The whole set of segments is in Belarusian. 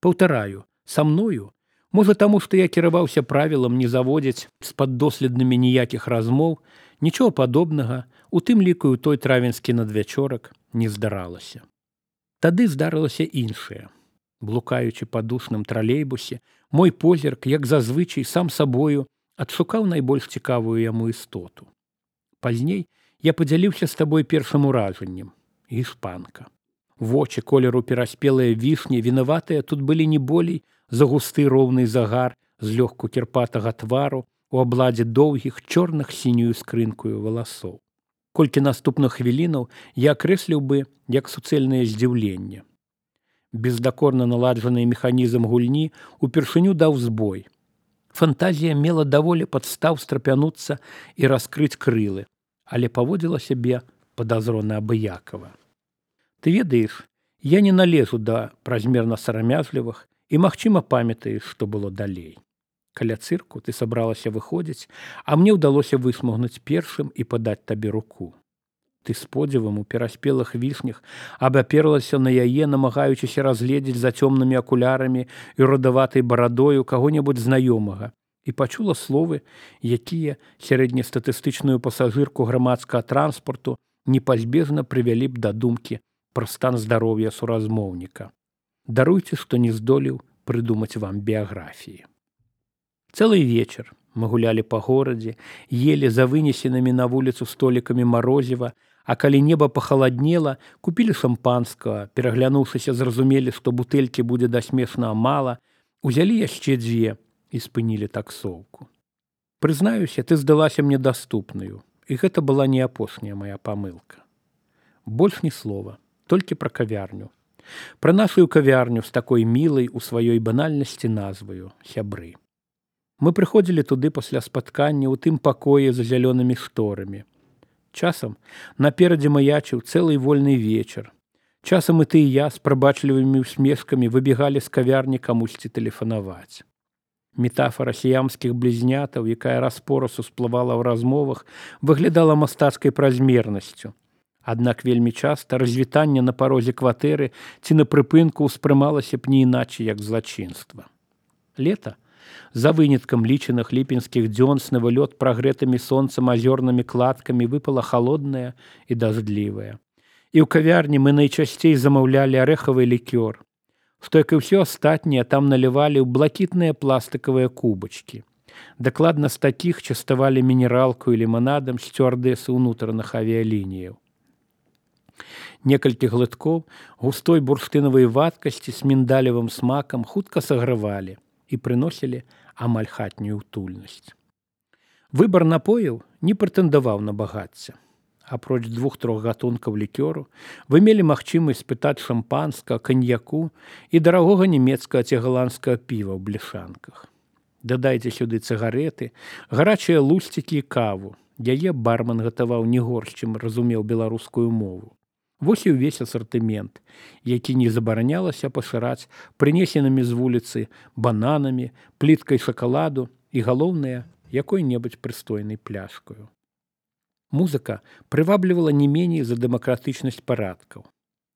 Паўтараю, са мною, можа таму, што я кіраваўся правілам не заводзіць з паддоследнымі ніякіх размоў, нічого падобнага, у тым ліку і той травенскі надвячорак, не здаралася. Тады здарылася іншае. Блукаючы па душным тралейбусе, мой позірк, як зазвычай, сам сабою, адшукаў найбольш цікавую яму істоту. Пазней я падзяліўся з табой першым уражаннем. Іспанка. Вочы колеру пераспелыя вішні, вінаватыя тут былі не болей за густы роўны загар злёгку кірпатага твару у абладзе доўгіх чорных сінюю скрынкую валасоў. Колькі наступных хвілінаў я акрэсліў бы як суцэльнае здзіўленне. Бездакорна наладжаны механізм гульні упершыню даў збой. Фантазія мела даволі падстаў страпянуцца і раскрыць крылы, але паводзіла сябе падазрона абыякава. Ты ведаеш, я не налезу да празмерна сарамязлівых і, магчыма, памятаеш, што было далей. Каля цырку ты сабралася выходзіць, а мне ўдалося высмагнуць першым і падаць табе руку. Ты з подзівам у пераспелых вішнях абаперлася на яе, намагаючыся разгледзець за цёмнымі акулярамі і рудаватай барадою каго-небудзь знаёмага, і пачула словы, якія сярэднестатыстычную пасажырку грамадскага транспарту непазбежна прывялі б да думкі пра стан здароўя суразмоўніка. Даруйце, што не здолеў прыдумаць вам біяграфіі. Цэлы вечар мы гулялі па горадзе, елі за вынесенымі на вуліцу столікамі марозіва, а калі неба пахаладнела, купілі шампанскага, пераглянуўшыся, зразумелі, што бутэлькі будзе дасмешна мала, узялі яшчэ 2 і спынілі таксоўку. Прызнаюся, ты здалася мне даступнаю, і гэта была не апошняя мая памылка. Больш ні слова, толькі пра кавярню. Пра нашую кавярню з такой мілай у сваёй банальнасці назваю «Сябры». Мы прыходзілі туды пасля спаткання ў тым пакоі за зялёнымі шторамі. Часам наперадзе маячыў цэлы вольны вечар. Часам і ты і я з прабачлівымі усмешкамі выбегалі з кавярні камусьці тэлефанаваць. Метафара сіямскіх блізнятаў, якая раз-пораз усплывала ў размовах, выглядала мастацкай празмернасцю. Аднак вельмі часта развітанне на парозе кватэры ці на прыпынку ўспрымалася б не іначай, як злачынства. Лета, за выняткам лічаных ліпенскіх дзён з навылёт прагрэтымі сонцам азёрнымі кладкамі выпала халодная і дажджлівая. І ў кавярні мы найчасцей замаўлялі арэхавы лікёр, што, як і ўсё астатняе, там налівалі ў блакітныя пластыкавыя кубачкі. Дакладна з такіх частавалі мінералку і ліманадам сцюардэсы ўнутраных авіялініяў. Некалькі глыткоў густой бурштынавай вадкасці з міндалевым смакам хутка сагравалі і прыносілі амаль хатнюю утульнасць. Выбар напояў не прэтэндаваў на багацце. Апроч 2-3 гатункаў лікёру вы мелі магчымасць спытаць шампанскага, каньяку і дарагога нямецкага ці галандскага піва ў бляшанках. Дадайце сюды цыгарэты, гарачыя лусцікі і каву. Яе барман гатаваў не горш, чым разумеў беларускую мову. Вось і ўвесь асартымент, які не забаранялася пашыраць прынесенымі з вуліцы бананамі, пліткай шакаладу і, галоўнае, якой-небудзь прыстойнай пляшкаю. Музыка прываблівала не меней за дэмакратычнасць парадкаў.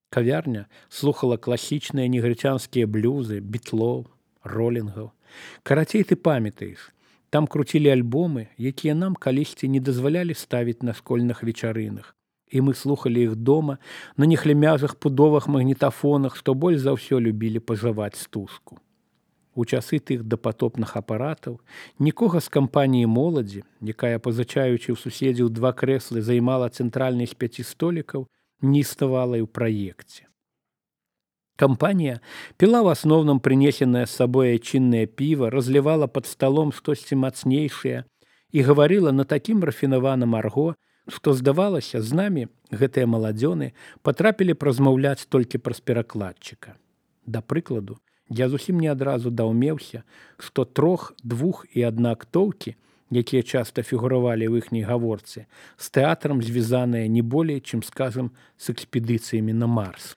Кавярня слухала класічныя негрыцянскія блюзы, бітлоў, ролінгаў. Карацей, ты памятаеш, там круцілі альбомы, якія нам калісьці не дазвалялі ставіць на школьных вечарынах. І мы слухалі іх дома на нехлямязых пудовых магнітафонах, што больш за ўсё любілі пажаваць стужку. У часы тых дапатопных апаратаў нікога з кампаніі моладзі, якая, пазычаючы ў суседзяў 2 крэслы, займала цэнтральны з 5 столікаў, не існавала і ў праекце. Кампанія піла в асноўным прынесенае з сабой айчыннае піва, разлівала пад сталом штосьці мацнейшае і гаварыла на такім рафінаваным арго, што, здавалася, з намі гэтыя маладзёны патрапілі празмаўляць толькі праз перакладчыка. Да прыкладу, я зусім не адразу даўмеўся, што 3, 2 і 1 актоўкі, якія часта фігуравалі ў іхняй гаворцы, з тэатрам звязаныя не болей, чым, скажам, з экспедыцыямі на Марс.